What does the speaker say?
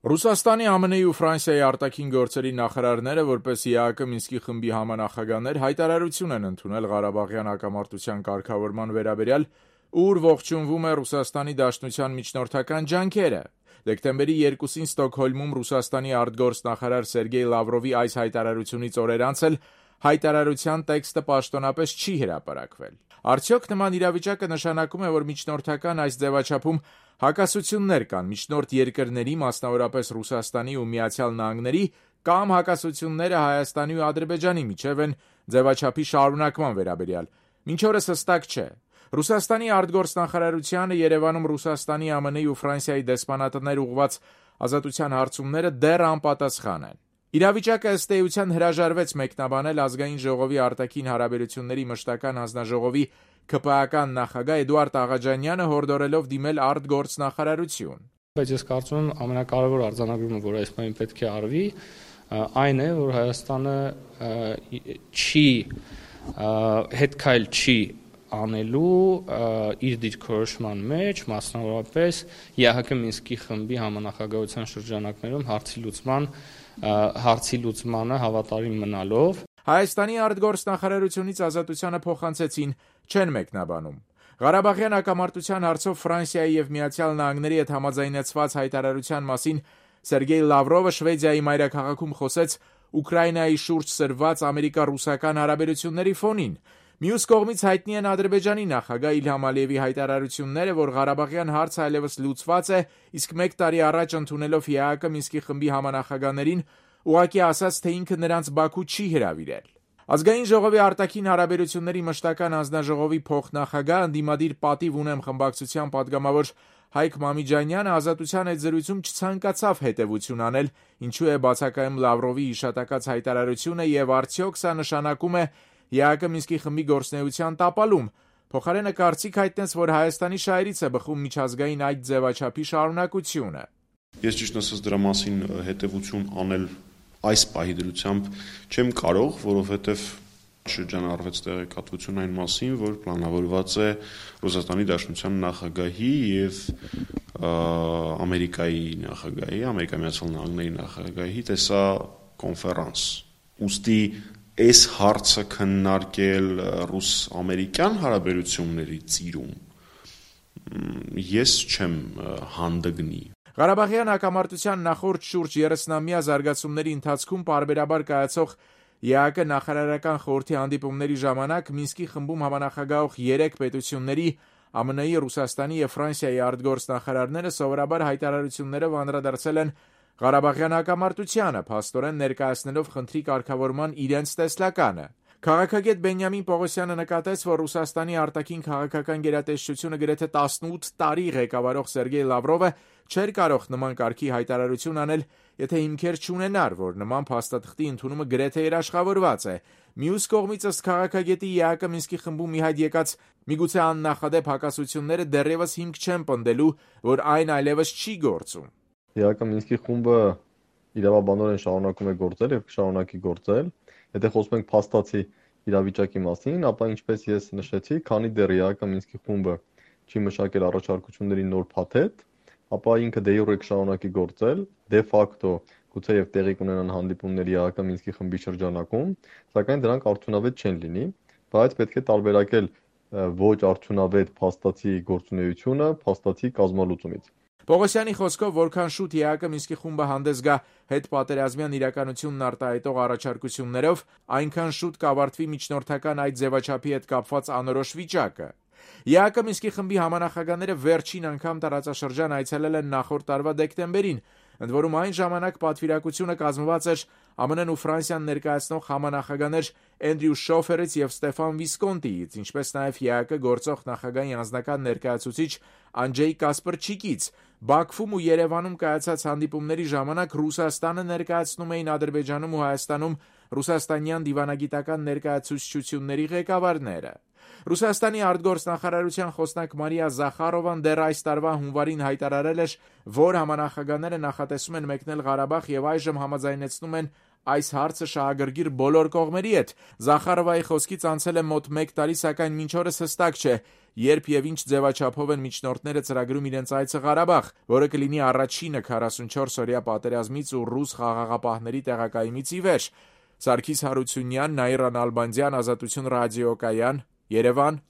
Ռուսաստանի, ԱՄՆ-ի ու Ֆրանսիայի արտաքին գործերի նախարարները, որպես ԵԱՀԿ Մինսկի խմբի համանախագահներ, հայտարարություն են ընդունել Ղարաբաղյան հակամարտության կարգավորման վերաբերյալ, ուր ողջունվում է Ռուսաստանի Դաշնության միջնորդական ջանքերը։ Դեկտեմբերի 2-ին Ստոկհոլմում Ռուսաստանի արտգործնախարար Սերգեյ Լավրովի այս հայտարարությունից օրեր անց էլ հայտարարության տեքստը պաշտոնապես չի հրապարակվել։ Արդյոք նման իրավիճակը նշանակում է, որ միջնորդական այս ձևաչափում հակասություններ կան միջնորդ երկրների, մասնավորապես Ռուսաստանի ու Միացյալ Նահանգների, կամ հակասությունները Հայաստանի ու Ադրբեջանի միջև են ձևաչափի շարունակման վերաբերյալ։ Մինչ օրս հստակ չէ։ Ռուսաստանի արտգործնախարարությանը Երևանում Ռուսաստանի, ԱՄՆ-ի ու Ֆրանսիայի դեսպանատներ ուղղված ազատության հարցումները դեռ անպատասխան են։ Իրավիճակը ըստ էության հրաժարվեց մեկնաբանել Ազգային ժողովի արտաքին հարաբերությունների մշտական հանձնաժողովի ԿՊԱ-ական նախագահ Էդուարդ Աղաջանյանը հորդորելով դիմել արտգործնախարարություն։ Բայց ես կարծում եմ ամենակարևոր արձանագրումը, որ այս բանին պետք է արվի, այն է, որ Հայաստանը հետքայլ չի անելու իր դիրքորոշման մեջ, մասնավորապես ԵԱՀԿ Մինսկի խմբի համանախագահության շրջանակներում հարցի լուծմանը հավատարիմ մնալով։ Հայաստանի արտգործնախարարությունից ազատությանը փոխանցեցին, չեն մեկնաբանում։ Ղարաբաղյան հակամարտության հարցով Ֆրանսիայի և Միացյալ Նահանգների հետ համաձայնեցված հայտարարության մասին Սերգեյ Լավրովը Շվեդիայի մայրաքաղաքում խոսեց Ուկրաինայի շուրջ սրված ամերիկա-ռուսական հարաբերությունների ֆոնին։ Մյուս կողմից հայտնի են Ադրբեջանի նախագահ Իլհամ Ալիևի հայտարարությունները, որ Ղարաբաղյան հարցը այլևս լուծված է, իսկ մեկ տարի առաջ ընդունելով ԵԱՀԿ Մինսկի խմբի համանախագահներին, ուղղակի ասաց, թե ինքը նրանց Բաքու չի հրավիրել։ Ազգային ժողովի արտաքին հարաբերությունների մշտական հանձնաժողովի փոխնախագահ, ընդդիմադիր պատիվ ունեմ խմբակցության падգամավոր Հայկ Մամիջանյանը ազատության այդ զրույցում չցանկացավ հետևություն անել, ինչու է բացակայում Լավրովի հիշատակած հայտարարությունը եւ արդյոք սա նշանակում է ԵԱՀԿ Մինսկի խմբի գործունեության տապալում։ Փոխարենը կարծիք հայտնեց, որ Հայաստանի շահերից է բխում միջազգային այդ ձևաչափի շարունակությունը։ Ես ճիշտ ասած դրա մասին հետևություն անել այս պահի դրությամբ չեմ կարող, որովհետև շրջանառվեց տեղեկատվություն այն մասին, որ պլանավորված է Ռուսաստանի Դաշնության նախագահի եւ Ամերիկայի նախագահի, Ամերիկայի Միացյալ Նահանգների նախագահի տեսակոնֆերանս։ Ուստի այս հարցը քննարկել ռուս-ամերիկյան հարաբերությունների ծիրում ես չեմ հանդգնի։ Ղարաբաղյան հակամարտության նախորդ շուրջ 30-ամյա զարգացումների ընթացքում պարբերաբար կայացող ԵԱՀԿ նախարարական խորհրդի հանդիպումների ժամանակ Մինսկի խմբում համանախագահող 3 պետությունների ԱՄՆ-ի, Ռուսաստանի և Ֆրանսիայի արտգործնախարարները սովորաբար հայտարարություններով անդրադարձել են Ղարաբաղյան հակամարտությանը, փաստորեն ներկայացնելով խնդրի կարգավորման իրենց տեսլականը։ Քաղաքագետ Բենյամին Պողոսյանը նկատեց, որ Ռուսաստանի արտաքին քաղաքական գերատեսչությունը գրեթե 18 տարի ղեկավարող Սերգեյ Լավրովը չէր կարող նման կարգի հայտարարություն անել, եթե հիմքեր չունենար, որ նման փաստաթղթի ընդունումը գրեթե երաշխավորված է։ Մյուս կողմից ըստ քաղաքագետի ԵԱՀԿ Մինսկի խմբում մի հայտ եկած միգուցե աննախադեպ հակասությունները դեռևս հիմք չեն պնդելու, որ այն այլևս չի գործում։ ԵԱՀԿ Մինսկի խումբը իրավաբանորեն շարունակում է գործել եւ կշարունակի գործել։ Եթե խոսում ենք փաստացի իրավիճակի մասին, ապա ինչպես ես նշեցի, քանի դեռ ԵԱՀԿ Մինսկի խումբը չի մշակել առաջարկությունների նոր փաթեթ, ապա ինքը դե յուրե կշարունակի գործել, դե ֆակտո գուցե եւ տեղի կունենան հանդիպումներ ԵԱՀԿ Մինսկի խմբի շրջանակում, սակայն դրանք արդյունավետ չեն լինի, բայց պետք է տարբերակել ոչ արդյունավետ փաստացի գործունեությունը փաստացի կազմալուծումից։ Պողոսյանի խոսքով, որքան շուտ ԵԱՀԿ Մինսկի խումբը հանդես գա հետպատերազմյան իրականությունն արտահայտող առաջարկություններով, այնքան շուտ կավարտվի միջնորդական այդ ձևաչափի հետ կապված անորոշ վիճակը։ ԵԱՀԿ Մինսկի խմբի համանախագահները վերջին անգամ տարածաշրջան այցելել են նախորդ տարվա դեկտեմբերին, ընդ որում այն ժամանակ պատվիրակությունը կազմված էր ԱՄՆ-ն ու Ֆրանսիան ներկայացնող համանախագահներ Էնդրյու Շոֆերից եւ Ստեֆան Վիսկոնտիից, ինչպես նաեւ ԵԱՀԿ գործող նախագահի անձնական ներկայացուցիչ Անջեյ Կասպրչիկից։ Բաքվում ու Երևանում կայացած հանդիպումների ժամանակ Ռուսաստանը ներկայացնում էին Ադրբեջանում ու Հայաստանում ռուսաստանյան դիվանագիտական ներկայացուցչությունների ղեկավարները։ Ռուսաստանի արտգործնախարարության խոսնակ Մարիա Զախարովան դեռ այս տարվա հունվարին հայտարարել էր, որ համանախագահները նախատեսում են մեկնել Ղարաբաղ եւ այժմ համաձայնեցնում են այս հարցը շահագրգիռ բոլոր կողմերի հետ։ Զախարովայի խոսքից անցել է մոտ 1 տարի, սակայն մինչ օրս հստակ չէ, երբ եւ ինչ ձևաչափով են միջնորդները ծրագրում իրենց այցը Ղարաբաղ, որը կլինի առաջինը 44-օրյա պատերազմից ու ռուս խաղաղապահների տեղակայումից ի վեր։ Սարգիս Հարությունյան, Նաիրա Նալբանդյան, Ազատություն ռադիոկայան, Երևան։